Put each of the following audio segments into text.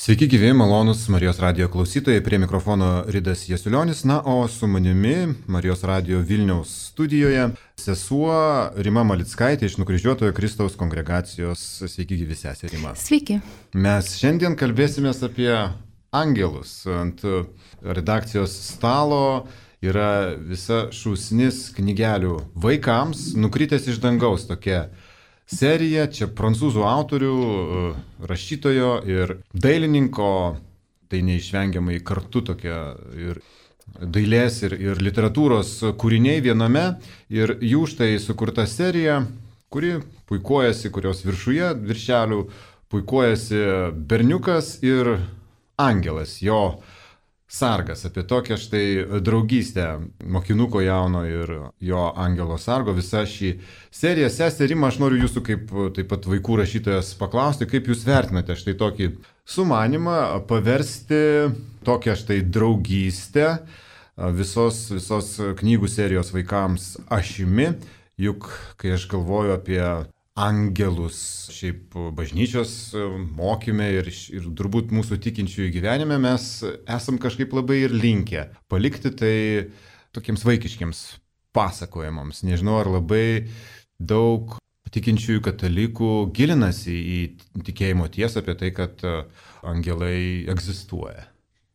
Sveiki gyvi, malonus Marijos radijo klausytojai, prie mikrofono Ridas Jasiulionis, o su manimi Marijos radijo Vilniaus studijoje sesuo Rima Malickaitė iš Nukryžiuotojo Kristaus kongregacijos. Sveiki gyvi, sesė Rima. Sveiki. Mes šiandien kalbėsimės apie angelus. Ant redakcijos stalo yra visa šūsnis knygelių vaikams, nukritęs iš dangaus tokia serija, čia prancūzų autorių, rašytojo ir dailininko, tai neišvengiamai kartu tokia ir dailės ir literatūros kūriniai viename, ir jų štai sukurta serija, kuri puikuojasi, kurios viršelių puikuojasi berniukas ir angelas, jo sargas, apie tokią štai draugystę mokinuko jauno ir jo angelo sargo, visa šį seriją. Sesė Rima, aš noriu jūsų kaip taip pat vaikų rašytojas paklausti, kaip jūs vertinate štai tokį sumanimą paversti tokią štai draugystę visos knygų serijos vaikams ašimi, juk kai aš galvoju apie angelus, šiaip bažnyčios mokyme ir turbūt mūsų tikinčiųjų gyvenime, mes esam kažkaip labai ir linkę palikti tai tokiems vaikiškiams pasakojimams. Nežinau, ar labai daug tikinčiųjų katalikų gilinasi į tikėjimo tiesą apie tai, kad angelai egzistuoja.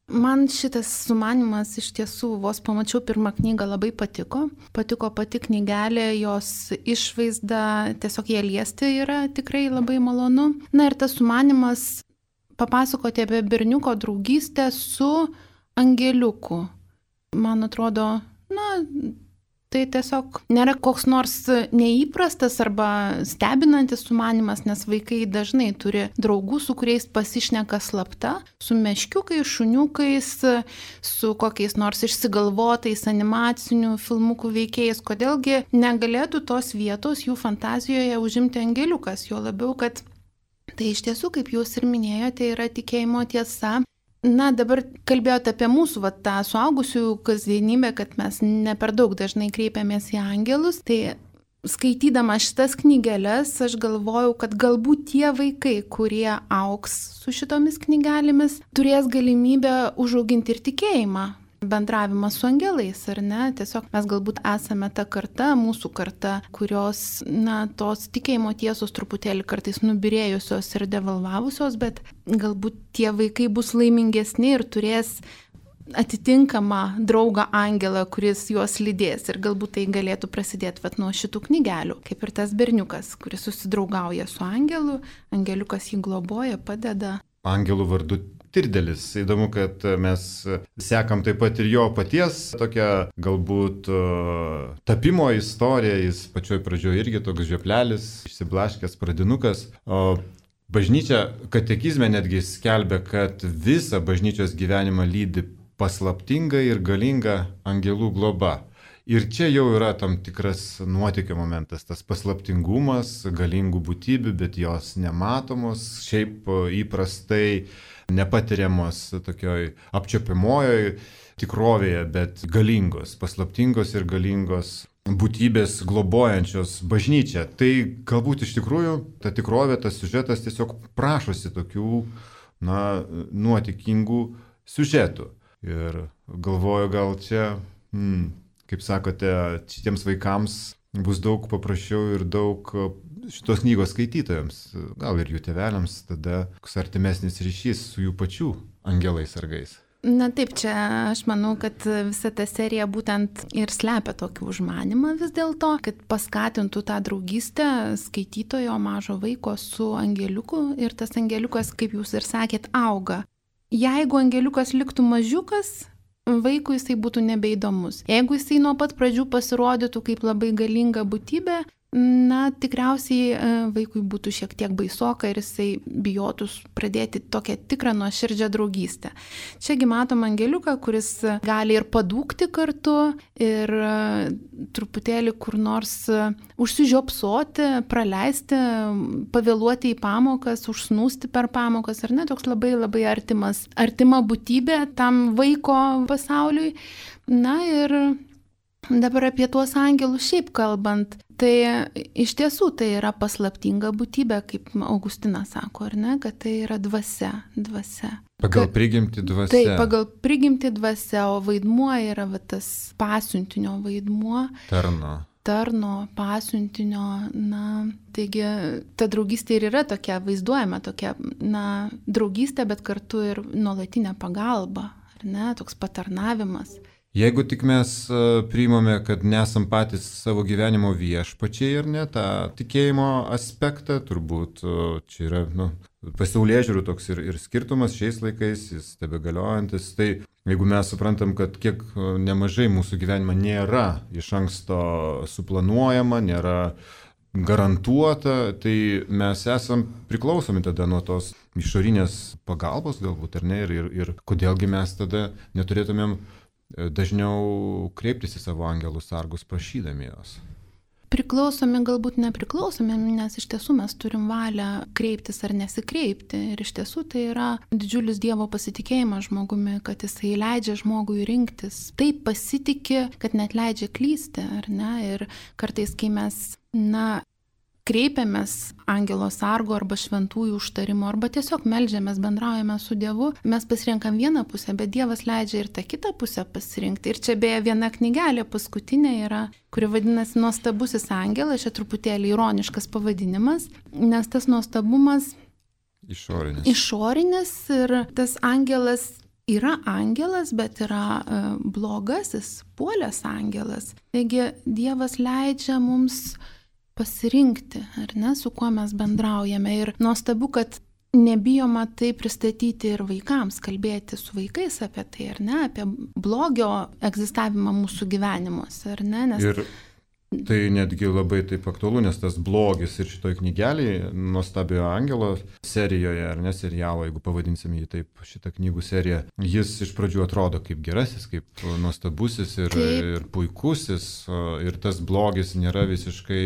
Man šitas sumanimas iš tiesų, vos pamačiau pirmą knygą, labai patiko. Patiko pati knygelė, jos išvaizda, tiesiog ją liesti yra tikrai labai malonu. Na ir tas sumanimas papasakoti apie berniuko draugystę su angeliuku. Man atrodo, tai tiesiog nėra koks nors neįprastas arba stebinantis sumanimas, nes vaikai dažnai turi draugų, su kuriais pasišneka slapta, su meškiukais, šuniukais, su kokiais nors išsigalvotais animacinių filmukų veikėjais. Kodėlgi negalėtų tos vietos jų fantazijoje užimti angeliukas, jo labiau, kad tai iš tiesų, kaip jūs ir minėjote, yra tikėjimo tiesa. Dabar kalbėjote apie mūsų tą suaugusiųjų kasdienybę, kad mes ne per daug dažnai kreipiamės į angelus. Tai skaitydama šitas knygeles, aš galvojau, kad galbūt tie vaikai, kurie augs su šitomis knygelėmis, turės galimybę užauginti ir tikėjimą, bendravimą su angelais, ar ne? Tiesiog mes galbūt esame ta karta, mūsų karta, kurios, tos tikėjimo tiesos truputėlį kartais nubyrėjusios ir devalvavusios, bet galbūt tie vaikai bus laimingesni ir turės atitinkamą draugą angelą, kuris juos lydės, ir galbūt tai galėtų prasidėti nuo šitų knygelių, kaip ir tas berniukas, kuris susidraugauja su angelu, angeliukas jį globoja, padeda. Angelų vardu Tirdelis. Įdomu, kad mes sekam taip pat ir jo paties tokią galbūt tapimo istoriją. Jis pačioj pradžioje irgi toks žioplelis, išsiblaškęs pradinukas. O bažnyčia katekizme netgi skelbia, kad visą bažnyčios gyvenimą lydi paslaptinga ir galinga angelų globa. Ir čia jau yra tam tikras nuotykio momentas, tas paslaptingumas, galingų būtybių, bet jos nematomos, šiaip įprastai nepatiriamos tokioj apčiuopiamojoj tikrovėje, bet galingos, paslaptingos ir galingos būtybės globojančios bažnyčią. Tai galbūt iš tikrųjų ta tikrovė, tas siužetas tiesiog prašosi tokių, nuotykingų siužetų. Ir galvoju, gal čia, kaip sakote, šitiems vaikams bus daug paprasčiau ir daug šitos knygos skaitytojams, gal ir jų tėveliams, tada koks artimesnis ryšys su jų pačių angelais sargais. Taip, čia aš manau, kad visa ta serija būtent ir slepia tokį užmanimą vis dėlto, kad paskatintų tą draugystę skaitytojo mažo vaiko su angeliuku, ir tas angeliukas, kaip jūs ir sakėt, auga. Jeigu angeliukas liktų mažiukas, vaikui jisai būtų nebeįdomus. Jeigu jisai nuo pat pradžių pasirodytų kaip labai galinga būtybė, tikriausiai vaikui būtų šiek tiek baisoka ir jisai bijotų pradėti tokią tikrą nuoširdžią draugystę. Čiagi matom angeliuką, kuris gali ir padūkti kartu, ir truputėlį kur nors užsižiopsoti, praleisti, pavėluoti į pamokas, užsnūsti per pamokas, ar ne, toks labai labai artima būtybė tam vaiko pasauliui. Ir Dabar apie tuos angelus šiaip kalbant, tai iš tiesų tai yra paslaptinga būtybė, kaip Augustinas sako, ar ne, kad tai yra dvasia. Pagal prigimtį dvasia. Taip, pagal prigimtį dvasia, o vaidmuo yra tas pasiuntinio vaidmuo. Tarno, pasiuntinio, taigi ta draugystė ir yra tokia, vaizduojama tokia, draugystė, bet kartu ir nuolatinė pagalba, ar ne, toks patarnavimas. Jeigu tik mes priimame, kad nesam patys savo gyvenimo viešpačiai, ar ne, tą tikėjimo aspektą, turbūt čia yra pasaulėžiūrų toks ir skirtumas šiais laikais, jis tebegaliojantis, tai jeigu mes suprantam, kad kiek nemažai mūsų gyvenime nėra iš anksto suplanuojama, nėra garantuota, tai mes esam priklausomi tada nuo tos išorinės pagalbos galbūt, ar ne, ir kodėlgi mes tada neturėtumėm dažniau kreiptis į savo angelus sargus prašydami jos. Priklausomi, galbūt nepriklausomi, nes iš tiesų mes turim valią kreiptis ar nesikreipti. Ir iš tiesų tai yra didžiulis Dievo pasitikėjimas žmogumi, kad jisai leidžia žmogui rinktis. Taip pasitikė, kad net leidžia klysti, ar ne? Ir kartais, kai mes, kreipiamės angelo sargo arba šventųjų užtarimo, arba tiesiog meldžiamės, bendraujame su Dievu, mes pasirenkam vieną pusę, bet Dievas leidžia ir tą kitą pusę pasirinkti. Ir čia beje viena knygelė paskutinė yra, kuri vadinasi Nuostabusis angelas, čia truputėlį ironiškas pavadinimas, nes tas nuostabumas išorinis ir tas angelas yra angelas, bet yra blogasis, puolęs angelas. Taigi Dievas leidžia mums pasirinkti, ar ne, su kuo mes bendraujame. Ir nuostabu, kad nebijoma tai pristatyti ir vaikams, kalbėti su vaikais apie tai, ar ne, apie blogio egzistavimą mūsų gyvenimuose, ar ne. Ir tai netgi labai taip aktualu, nes tas blogis ir šitoj knygelėje, Nuostabiojo angelo serijoje, ar ne, serialo, jeigu pavadinsime jį taip, šitą knygų seriją, jis iš pradžių atrodo kaip gerasis, kaip nuostabusis ir puikusis, ir tas blogis nėra visiškai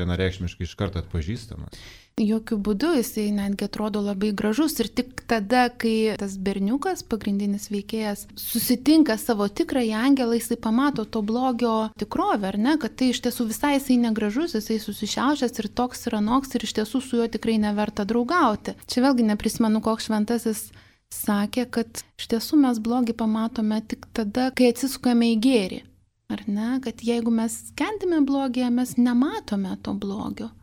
vienareikšmiškai iš karto atpažįstamas. Jokių būdų, jisai netgi atrodo labai gražus ir tik tada, kai tas berniukas, pagrindinis veikėjas, susitinka savo tikrąjį angelą, jisai pamato to blogio tikrovę, ar ne, kad tai iš tiesų visai jisai negražus, jisai susišiaušęs ir toks ir anoks ir iš tiesų su juo tikrai neverta draugauti. Čia vėlgi neprisimenu, koks šventasis sakė, kad iš tiesų mes blogį pamatome tik tada, kai atsisukame į gėrį, ar ne, kad jeigu mes kentime blogį, mes nematome to blogio.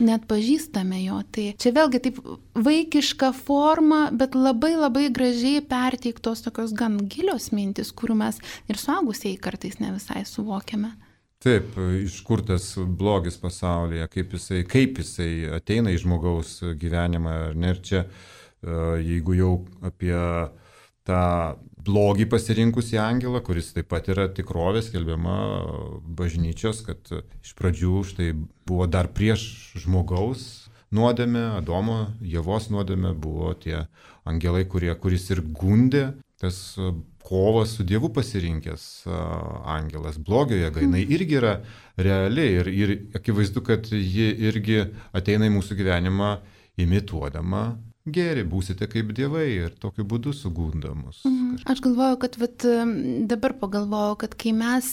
Net pažįstame jo. Tai čia vėlgi taip vaikiška forma, bet labai labai gražiai perteiktos tokios gan gilios mintis, kurių mes ir suaugusieji kartais ne visai suvokiame. Taip, iš kur tas blogis pasaulyje, kaip jisai ateina į žmogaus gyvenimą. Ir čia, jeigu jau apie tą blogį pasirinkusį angelą, kuris taip pat yra tikrovė skelbiama bažnyčios, kad iš pradžių štai buvo dar prieš žmogaus nuodėmę, Adomo, Ievos nuodėmę, buvo tie angelai, kuris ir gundė, tas kovas su Dievu pasirinkęs angelas, blogio jėga, jinai irgi yra reali ir akivaizdu, kad ji irgi ateina į mūsų gyvenimą imituodama gėrį, būsite kaip dievai ir tokiu būdu sugundamus. Aš galvoju, kad dabar pagalvoju, kad kai mes,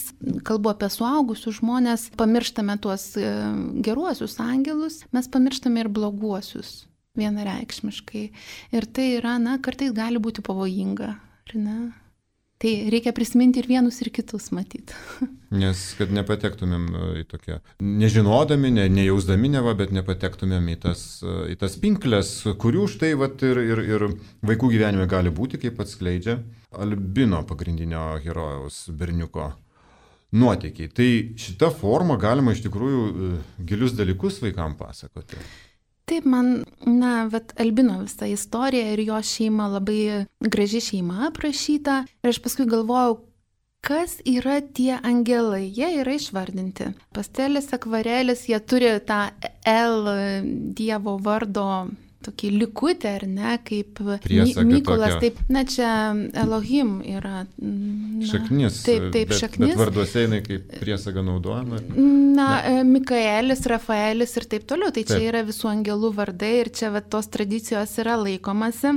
kalbu apie suaugusius žmonės, pamirštame tuos geruosius angelus, mes pamirštame ir bloguosius vienareikšmiškai. Ir tai yra, kartais gali būti pavojinga, ar ne? Tai reikia prisiminti ir vienus, ir kitus matyti. Nes kad nepatektumėm į tokią, nežinodami, nejausdami neva, bet nepatektumėm į tas pinklės, kurių štai ir vaikų gyvenime gali būti, kaip atskleidžia Albino pagrindinio herojaus berniuko nuotykiai. Tai šitą formą galima iš tikrųjų gilius dalykus vaikams pasakoti. Taip, man, Albino visa istorija ir jo šeima labai graži šeima aprašyta. Ir aš paskui galvojau, kas yra tie angelai. Jie yra išvardinti. Pastelės, akvarelės, jie turi tą L Dievo vardo tokį likutę, ar ne, kaip Mykolas, tokia. Taip, čia Elohim yra. Šaknis, taip, šaknis. Bet varduose jinai kaip priesaga naudojama. Mikaelis, Rafaelis ir taip toliau, tai čia yra visų angelų vardai ir čia tos tradicijos yra laikomasi.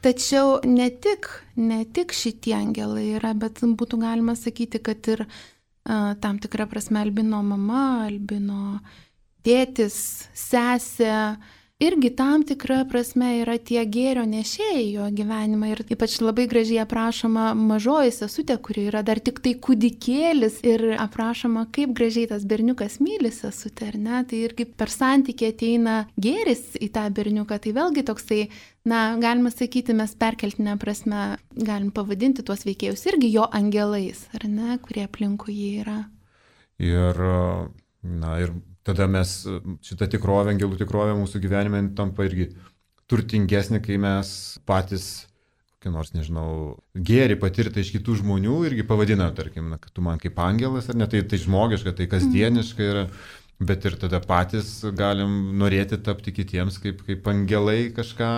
Tačiau ne tik šitie angelai yra, bet būtų galima sakyti, kad ir tam tikrą prasme albino mama, albino tėtis, sesė, irgi tam tikra prasme yra tie gėrio nešėjai jo gyvenimą. Ir ypač labai gražiai aprašoma mažoji sesutė, kuri yra dar tik tai kūdikėlis ir aprašoma, kaip gražiai tas berniukas myli sesutę, ar ne? Tai irgi per santykį ateina gėris į tą berniuką. Tai vėlgi toksai, galima sakyti, mes perkeltinę prasme galim pavadinti tuos veikėjus irgi jo angelais, ar ne, kurie aplinkui jį yra. Ir tada mes šitą tikrovę, angelų tikrovę mūsų gyvenime tampa irgi turtingesnė, kai mes patys, kokį nors, gėrį patirtą iš kitų žmonių irgi pavadina, tarkim, kad tu man kaip angelas, ar ne, tai žmogiška, tai kasdieniška yra, bet ir tada patys galim norėti tapti kitiems kaip angelai, kažką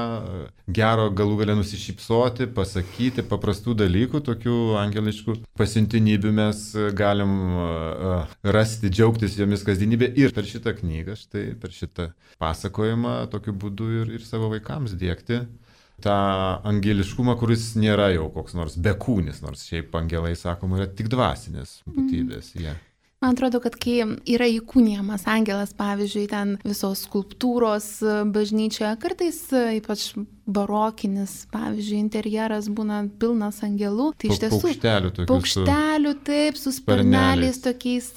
gero galų gale nusišypsoti, pasakyti, paprastų dalykų, tokių angeliškų pasiuntinybių mes galim rasti, džiaugtis jomis kasdienybė ir per šitą knygą, štai per šitą pasakojimą tokiu būdu ir savo vaikams dėkti tą angeliškumą, kuris nėra jau koks nors bekūnis, nors šiaip angelai, sakoma, yra tik dvasinės būtybės. Yeah. Man atrodo, kad kai yra įkūnijamas angelas, pavyzdžiui, ten visos skulptūros bažnyčioje, kartais ypač barokinis, pavyzdžiui, interjeras būna pilnas angelų, tai iš tiesų paukštelių, taip, su sparneliais, tokiais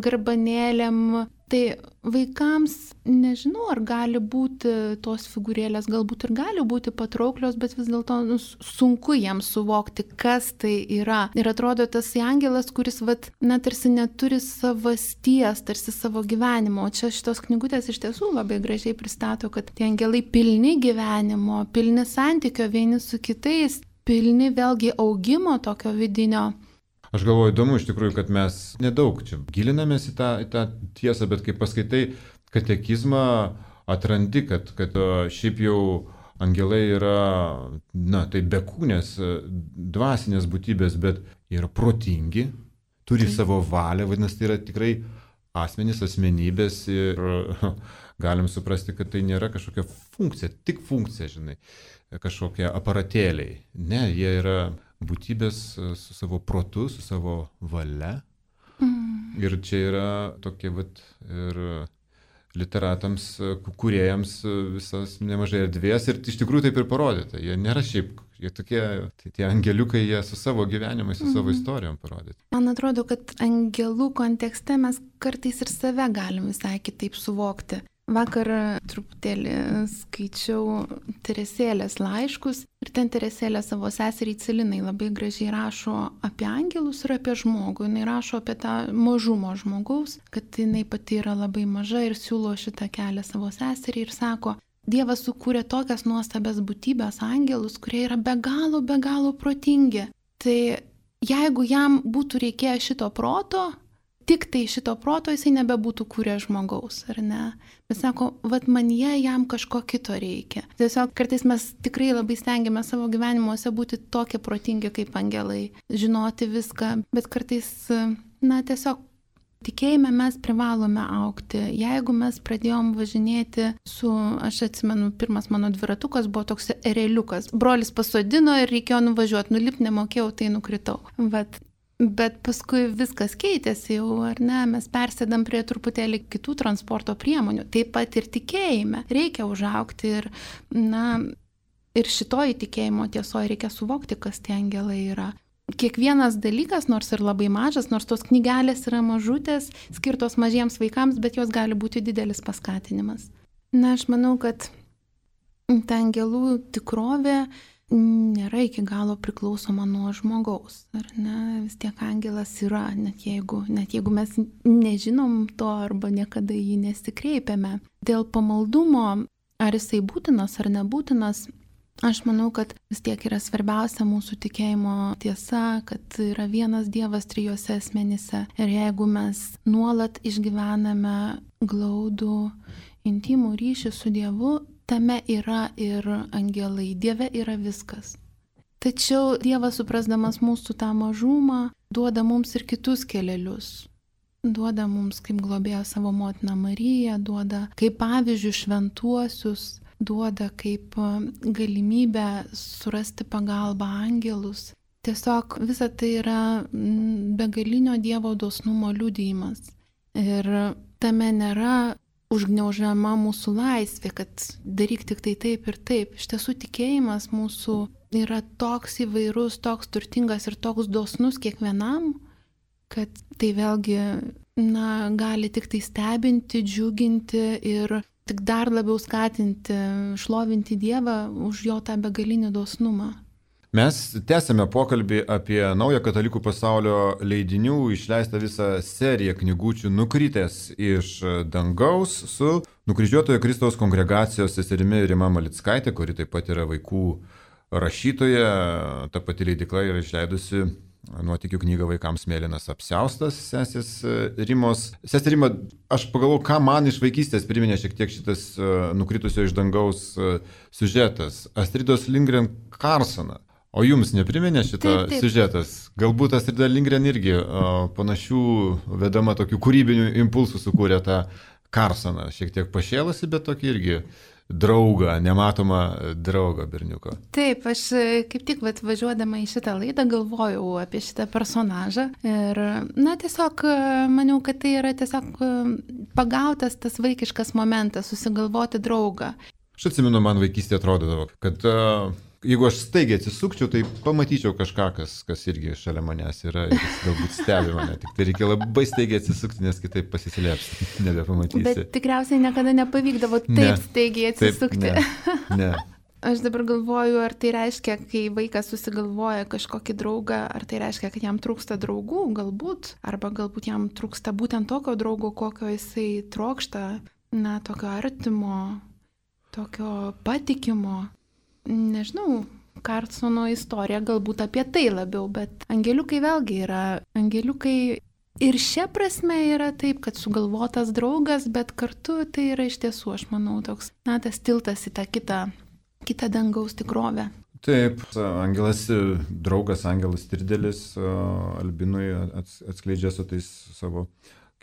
garbanėlėm. Tai vaikams, nežinau, ar gali būti tos figūrėlės, galbūt ir gali būti patrauklios, bet vis dėlto sunku jiems suvokti, kas tai yra. Ir atrodo, tas angelas, kuris tarsi neturi savasties, tarsi savo gyvenimo. O čia šitos knygutės iš tiesų labai gražiai pristato, kad tie angelai pilni gyvenimo, pilni santykio vieni su kitais, pilni vėlgi augimo tokio vidinio. Aš galvoju, įdomu iš tikrųjų, kad mes nedaug čia gilinamės į tą tiesą, bet kai paskaitai katekizmą, atrandi, kad šiaip jau angelai yra, tai bekūnės, dvasinės būtybės, bet yra protingi, turi savo valią, vadinasi, tai yra tikrai asmenybės ir galim suprasti, kad tai nėra kažkokia funkcija, tik funkcija, kažkokie aparatėliai. Ne, jie yra būtybės su savo protu, su savo valia. Ir čia yra tokie ir literatams, kūrėjams visas nemažai erdvės ir iš tikrųjų taip ir parodyta. Jie nėra šiaip, jie tokie, tie angeliukai, jie su savo gyvenimais, su savo istorijom parodyti. Man atrodo, kad angelų kontekste mes kartais ir save galim visai kitaip suvokti. Vakar truputėlį skaičiau Teresėlės laiškus ir ten Teresėlė savo seseriai Celinai labai gražiai rašo apie angelus ir apie žmogų. Jis rašo apie tą mažumo žmogaus, kad jinai pati yra labai maža ir siūlo šitą kelią savo seseriai ir sako, Dievas sukūrė tokias nuostabias būtybės angelus, kurie yra be galo protingi. Tai jeigu jam būtų reikėję šito proto, tik tai šito proto jisai nebebūtų kūrę žmogaus, ar ne? Bet sako, manyje jam kažko kito reikia. Tiesiog kartais mes tikrai labai stengiamės savo gyvenimuose būti tokie protingi kaip angelai, žinoti viską, bet kartais, tiesiog tikėjime mes privalome augti. Jeigu mes pradėjom važinėti aš atsimenu, pirmas mano dviratukas buvo toks ereliukas. Brolis pasodino ir reikėjo nuvažiuoti, nulipti nemokėjau, tai nukritau. Bet paskui viskas keitėsi jau, ar ne, mes persėdam prie truputėlį kitų transporto priemonių. Taip pat ir tikėjime. Reikia užaugti ir šitoj tikėjimo tiesoje reikia suvokti, kas tie angelai yra. Kiekvienas dalykas, nors ir labai mažas, nors tos knygelės yra mažutės, skirtos mažiems vaikams, bet jos gali būti didelis paskatinimas. Aš manau, kad ta angelų tikrovė nėra iki galo priklausoma nuo žmogaus, ar ne? Vis tiek angelas yra, net jeigu mes nežinom to arba niekada jį nesikreipiame. Dėl pamaldumo, ar jisai būtinas ar nebūtinas, aš manau, kad vis tiek yra svarbiausia mūsų tikėjimo tiesa, kad yra vienas Dievas trijose asmenyse. Ir jeigu mes nuolat išgyvename glaudų, intimų ryšį su Dievu, tame yra ir angelai, Dieve yra viskas. Tačiau Dievas, suprasdamas mūsų tą mažumą, duoda mums ir kitus kelelius. Duoda mums kaip globėją savo motiną Mariją, duoda kaip pavyzdžių šventuosius, duoda kaip galimybę surasti pagalbą angelus. Tiesiog visa tai yra begalinio Dievo dosnumo liudijimas. Ir tame nėra užgniaužiama mūsų laisvė, kad daryk tik tai taip ir taip. Iš tiesų tikėjimas mūsų yra toks įvairus, toks turtingas ir toks dosnus kiekvienam, kad tai vėlgi gali tik tai stebinti, džiuginti ir tik dar labiau skatinti, šlovinti Dievą už jo tą begalinį dosnumą. Mes tęsėme pokalbį apie naują katalikų pasaulio leidinių išleistą visą seriją knygučių Nukritęs iš dangaus su Nukryžiuotojo Kristaus kongregacijos seserimi Rima Malickaitė, kuri taip pat yra vaikų rašytoja. Ta pati leidykla yra išleidusi nuotykių knygą vaikams Mėlynas apsiaustas sesės Rimos. Sesė Rima, aš pagalvoju, ką man iš vaikystės priminė šiek tiek šitas Nukritusio iš dangaus siužetas. Astridos Lindgren Carsoną. O jums nepriminė šitą siužetas? Galbūt Astrida Lindgren irgi panašių vedama tokių kūrybinių impulsų sukūrė tą Carsoną. Šiek tiek pašėlusi, bet tokį irgi draugą, nematomą draugą berniuko. Taip, aš kaip tik važiuodama į šitą laidą galvojau apie šitą personažą ir, tiesiog maniau, kad tai yra tiesiog pagautas tas vaikiškas momentas, susigalvoti draugą. Aš atsimenu, man vaikystė atrodydavo, kad jeigu aš staigiai atsisukčiau, tai pamatyčiau kažką, kas irgi šalia manęs yra ir jis galbūt stebi mane. Tik tai reikia labai staigiai atsisukti, nes kitaip pasislėpsi, nebepamatysi. Bet tikriausiai niekada nepavykdavo taip staigiai atsisukti. Ne. Aš dabar galvoju, ar tai reiškia, kai vaikas susigalvoja kažkokį draugą, ar tai reiškia, kad jam trūksta draugų, galbūt, arba galbūt jam trūksta būtent tokio draugo, kokio jisai trokšta, tokio artimo, tokio patikimo. Nežinau, Carsono istorija galbūt apie tai labiau, bet angeliukai vėlgi yra. Angeliukai ir šia prasme yra taip, kad sugalvotas draugas, bet kartu tai yra iš tiesų, aš manau, toks, tas tiltas į tą kitą dangaus tikrovę. Taip, draugas Angelas Tirdelis Albinui atskleidžia su tais savo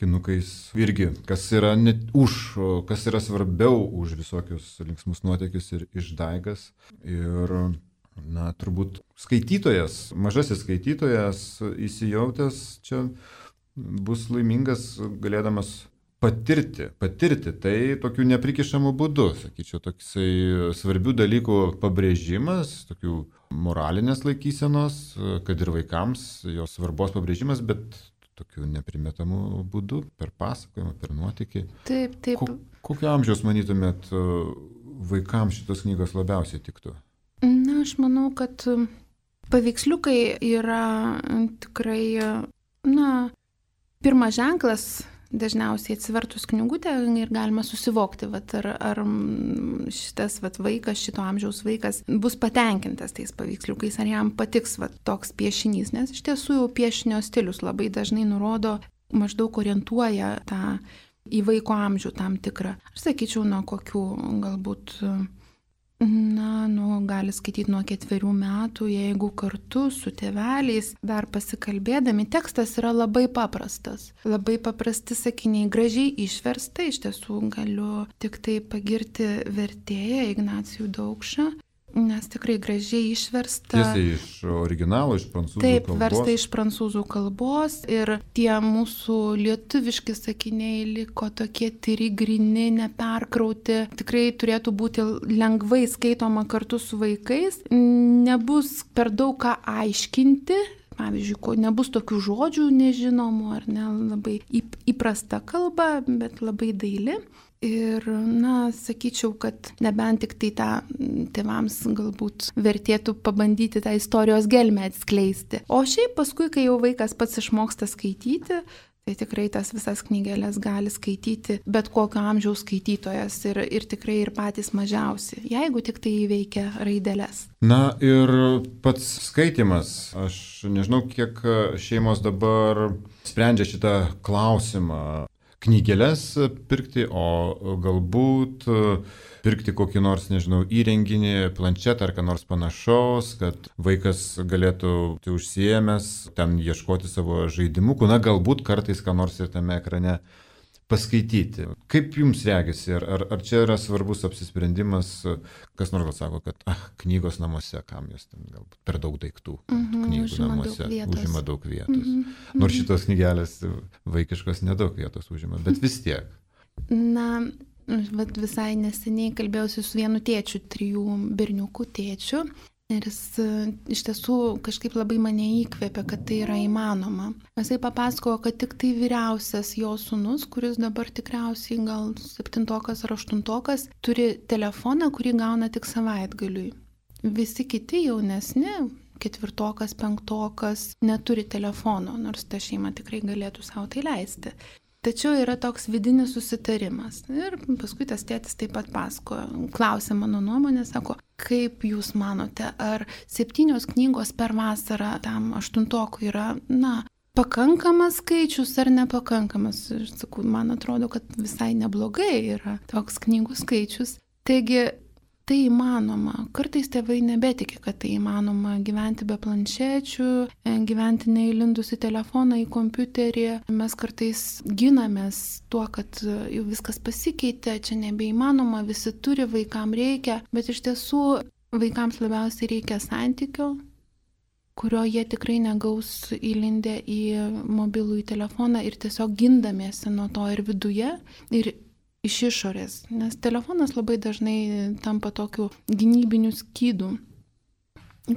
kinukais irgi, kas yra svarbiau už visokius linksmus nuotykius ir išdaigas. Ir, turbūt mažasis skaitytojas įsijautęs čia bus laimingas galėdamas patirti tai tokiu neprikišamu būdu, sakyčiau, toksai svarbių dalykų pabrėžimas, tokių moralinės laikysenos, kad ir vaikams jos svarbos pabrėžimas, bet tokiu neprimetamų būdų, per pasakojimą, per nuotykį. Taip. Kokio amžiaus, manytumėt, vaikams šitos knygos labiausiai tiktų? Aš manau, kad paveiksliukai yra tikrai, pirmas ženklas, dažniausiai atsivertus knygutę ir galima susivokti, ar šitas vaikas, šito amžiaus vaikas bus patenkintas tais paveiksliukais, ar jam patiks toks piešinys, nes iš tiesų jau piešinio stilius labai dažnai nurodo, maždaug orientuoja tą į vaiko amžių tam tikrą. Aš sakyčiau, nuo kokių galbūt gali skaityti nuo 4 metų, jeigu kartu su tėveliais dar pasikalbėdami. Tekstas yra labai paprastas. Labai paprasti sakiniai, gražiai išversta. Iš tiesų galiu tik tai pagirti vertėją Ignacijų Daukšą, nes tikrai gražiai išversta. Tiesiai iš originalo, iš prancūzų kalbos. Taip, versta iš prancūzų kalbos ir tie mūsų lietuviški sakiniai liko tokie tyri, gryni, neperkrauti. Tikrai turėtų būti lengvai skaitoma kartu su vaikais. Nebus per daug ką aiškinti. Pavyzdžiui, nebus tokių žodžių nežinomų ar ne, labai įprasta kalba, bet labai daili. Ir, sakyčiau, kad nebent tik tai tą tėvams galbūt vertėtų pabandyti tą istorijos gelmę atskleisti. O šiaip paskui, kai jau vaikas pats išmoksta skaityti, tai tikrai tas visas knygelės gali skaityti bet kokio amžiaus skaitytojas ir tikrai ir patys mažiausi, jeigu tik tai įveikia raideles. Ir pats skaitimas. Aš nežinau, kiek šeimos dabar sprendžia šitą klausimą. Knygeles pirkti, o galbūt pirkti kokį nors, įrenginį, planšetą ar ką nors panašaus, kad vaikas galėtų užsiėmęs ten ieškoti savo žaidimukų, galbūt kartais ką nors ir tame ekrane paskaityti. Kaip jums regisi, ar čia yra svarbus apsisprendimas, kas nors sako, kad knygos namuose, kam jos ten galbūt per daug daiktų, knygų namuose užima daug vietos. Nors šitos knygelės vaikiškos nedaug vietos užima, bet vis tiek. Na, visai neseniai kalbėjausi su vienu tėčiu, 3 berniukų tėčiu. Ir jis iš tiesų kažkaip labai mane įkvėpė, kad tai yra įmanoma. Jisai papasakojo, kad tik tai vyriausias jo sūnus, kuris dabar tikriausiai gal 7 ar 8, turi telefoną, kurį gauna tik savaitgaliui. Visi kiti jaunesni, 4, 5 neturi telefono, nors ta šeima tikrai galėtų savo tai leisti. Tačiau yra toks vidinis susitarimas. Ir paskui tas tėtis taip pat pasakojo, klausė mano nuomonę, sako, kaip jūs manote, ar 7 knygos per vasarą tam 8 yra, pakankamas skaičius ar nepakankamas? Ir sakau, man atrodo, kad visai neblogai yra toks knygų skaičius. Taigi, tai įmanoma. Kartais tėvai nebetikė, kad tai įmanoma gyventi be planšečių, gyventi neįlindus į telefoną, į kompiuterį. Mes kartais ginamės tuo, kad jau viskas pasikeitė, čia nebeįmanoma, visi turi, vaikams reikia, bet iš tiesų vaikams labiausiai reikia santykio, kurio jie tikrai negaus įlindę į mobilųjį telefoną ir tiesiog gindamiesi nuo to ir viduje, ir iš išorės, nes telefonas labai dažnai tampa tokiu gynybiniu skydu,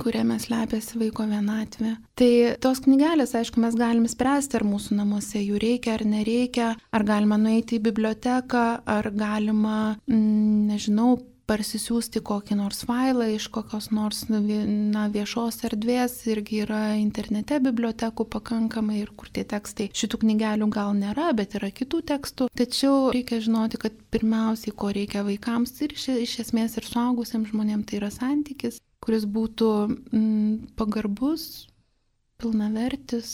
kuriame slepiasi vaiko vienatvė. Tai tos knygelės, aišku, mes galim spręsti, ar mūsų namuose jų reikia ar nereikia, ar galima nueiti į biblioteką, ar galima, parsisiųsti kokį nors failą iš kokios nors viešos erdvės, irgi yra internete bibliotekų pakankamai ir kur tie tekstai. Šitų knygelių gal nėra, bet yra kitų tekstų. Tačiau reikia žinoti, kad pirmiausiai, ko reikia vaikams ir iš esmės ir suaugusiems žmonėms, tai yra santykis, kuris būtų pagarbus, pilnavertis,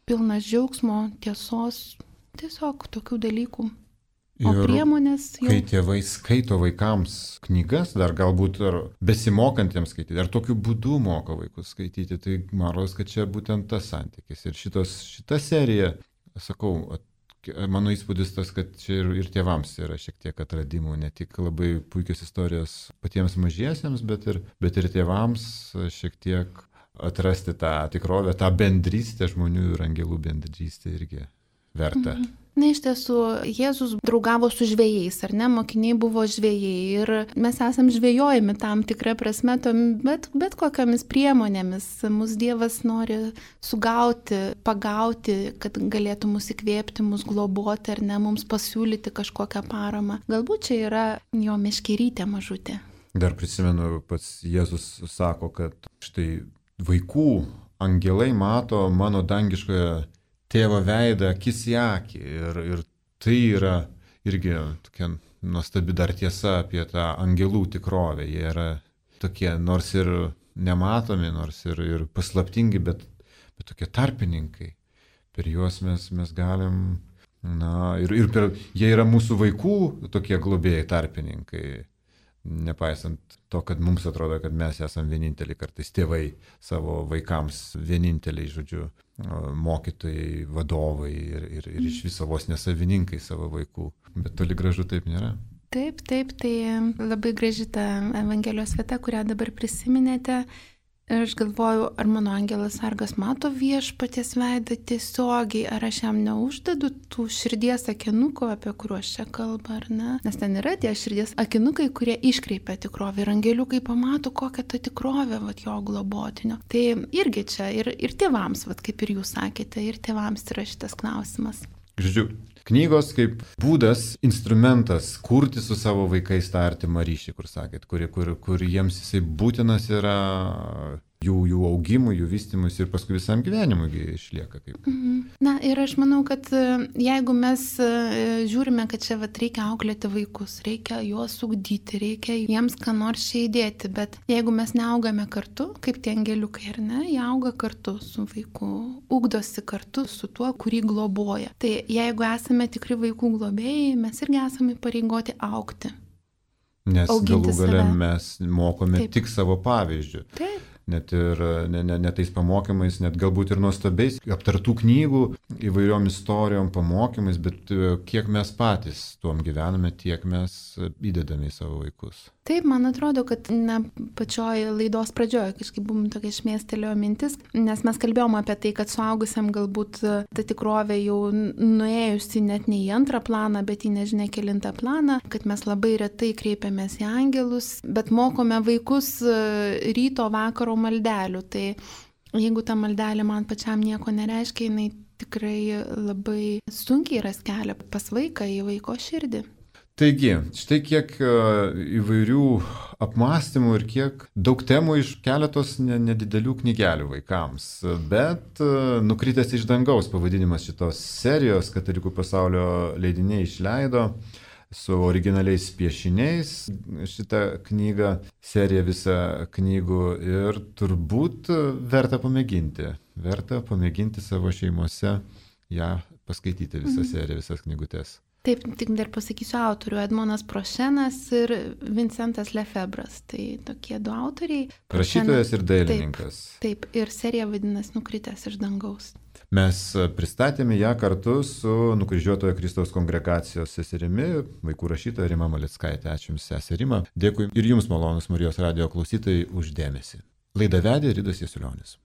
pilnas džiaugsmo, tiesos, tiesiog tokių dalykų. O priemonės jau... Kai tėvai skaito vaikams knygas, dar galbūt ar besimokantiems skaityti, ar tokiu būdu moko vaikus skaityti, tai man rodos, kad čia būtent tas santykis. Ir šita serija, sakau, mano įspūdis tas, kad čia ir tėvams yra šiek tiek atradimų, ne tik labai puikios istorijos patiems mažiesiems, bet ir tėvams šiek tiek atrasti tą tikrovę, tą bendrystę, žmonių ir angelų bendrystę irgi verta. Na, iš tiesų, Jėzus draugavo su žvejais, ar ne? Mokiniai buvo žvejai ir mes esam žvejojami tam tikrą prasme, bet kokiamis priemonėmis. Mūsų Dievas nori sugauti, pagauti, kad galėtų mus įkvėpti, mus globoti, ar ne, mums pasiūlyti kažkokią paramą. Galbūt čia yra jo meškerytė mažutė. Dar prisimenu, pats Jėzus sako, kad štai vaikų angelai mato mano dangiškoje tėvo veidą akis į akį ir tai yra irgi tokia nuostabi dar tiesa apie tą angelų tikrovę. Jie yra tokie nors ir nematomi, nors ir paslaptingi, bet tokie tarpininkai. Per juos mes galim, jie yra mūsų vaikų tokie globėjai tarpininkai. Nepaisant to, kad mums atrodo, kad mes esame vieninteliai kartais tėvai savo vaikams, vieninteliai, žodžiu, mokytojai, vadovai ir iš viso vos nesavininkai savo vaikų. Bet toli gražu taip nėra. Taip, tai labai graži ta Evangelijos vieta, kurią dabar prisiminėte. Ir aš galvoju, ar mano angelas sargas mato viešpaties veidą tiesiogiai, ar aš jam neuždedu tų širdies akinukų, apie kuriuos čia kalba, ar ne? Nes ten yra tie širdies akinukai, kurie iškreipia tikrovę ir angeliukai pamato, kokia ta tikrovė jo globotinio. Tai irgi čia ir tėvams, kaip ir jūs sakėte, ir tėvams yra šitas klausimas. Žodžiu, knygos kaip būdas, instrumentas kurti su savo vaikais tą artimą ryšį, kur sakėt, kur jiems jisai būtinas yra jų augimui, jų vystymus ir paskui visam gyvenimui išlieka. Na ir aš manau, kad jeigu mes žiūrime, kad čia reikia auklėti vaikus, reikia juos ugdyti, reikia jiems ką nors čia įdėti, bet jeigu mes neaugame kartu, kaip tie angeliukai, ar ne, jie auga kartu su vaiku, ugdosi kartu su tuo, kurį globoja. Tai jeigu esame tikri vaikų globėjai, mes irgi esame įpareigoti augti. Nes galų gale mes mokome tik savo pavyzdžių. Taip. net ir ne tais pamokymais, net galbūt ir nuostabiais aptartų knygų įvairiom istorijom, pamokymais, bet kiek mes patys tuom gyvename, tiek mes įdedame į savo vaikus. Taip, man atrodo, kad pačioj laidos pradžioje kažkaip buvom tokia šmėstelėjo mintis, nes mes kalbėjom apie tai, kad suaugusiam galbūt ta tikrovė jau nuėjusi net ne į antrą planą, bet į nežinia kelintą planą, kad mes labai retai kreipiamės į angelus, bet mokome vaikus ryto vakaro maldelių. Tai jeigu ta maldelė man pačiam nieko nereiškia, jinai tikrai labai sunkiai ras kelią pas vaiką į vaiko širdį. Taigi, štai kiek įvairių apmąstymų ir kiek daug temų iš keletos nedidelių knygelių vaikams. Bet Nukritęs iš dangaus pavadinimas šitos serijos Katalikų pasaulio leidiniai išleido su originaliais piešiniais šitą knygą, seriją visą knygų ir turbūt verta pamėginti savo šeimose ją paskaityti visą seriją, visas knygutes. Taip, tik dar pasakysiu autorių, Edmonas Prošenas ir Vincentas Lefebras. Tai tokie du autoriai. Rašytojas ir dailininkas. Taip, ir serija vadinasi Nukritęs iš dangaus. Mes pristatėme ją kartu su Nukryžiuotojo Kristaus kongregacijos seserimi, vaikų rašytoja Rima Malickaitė. Ačiū Jums, seserė Rima. Dėkui ir Jums, malonūs Marijos radijo klausytojai, už dėmesį. Laidą vedė Ridas Jasiulionis.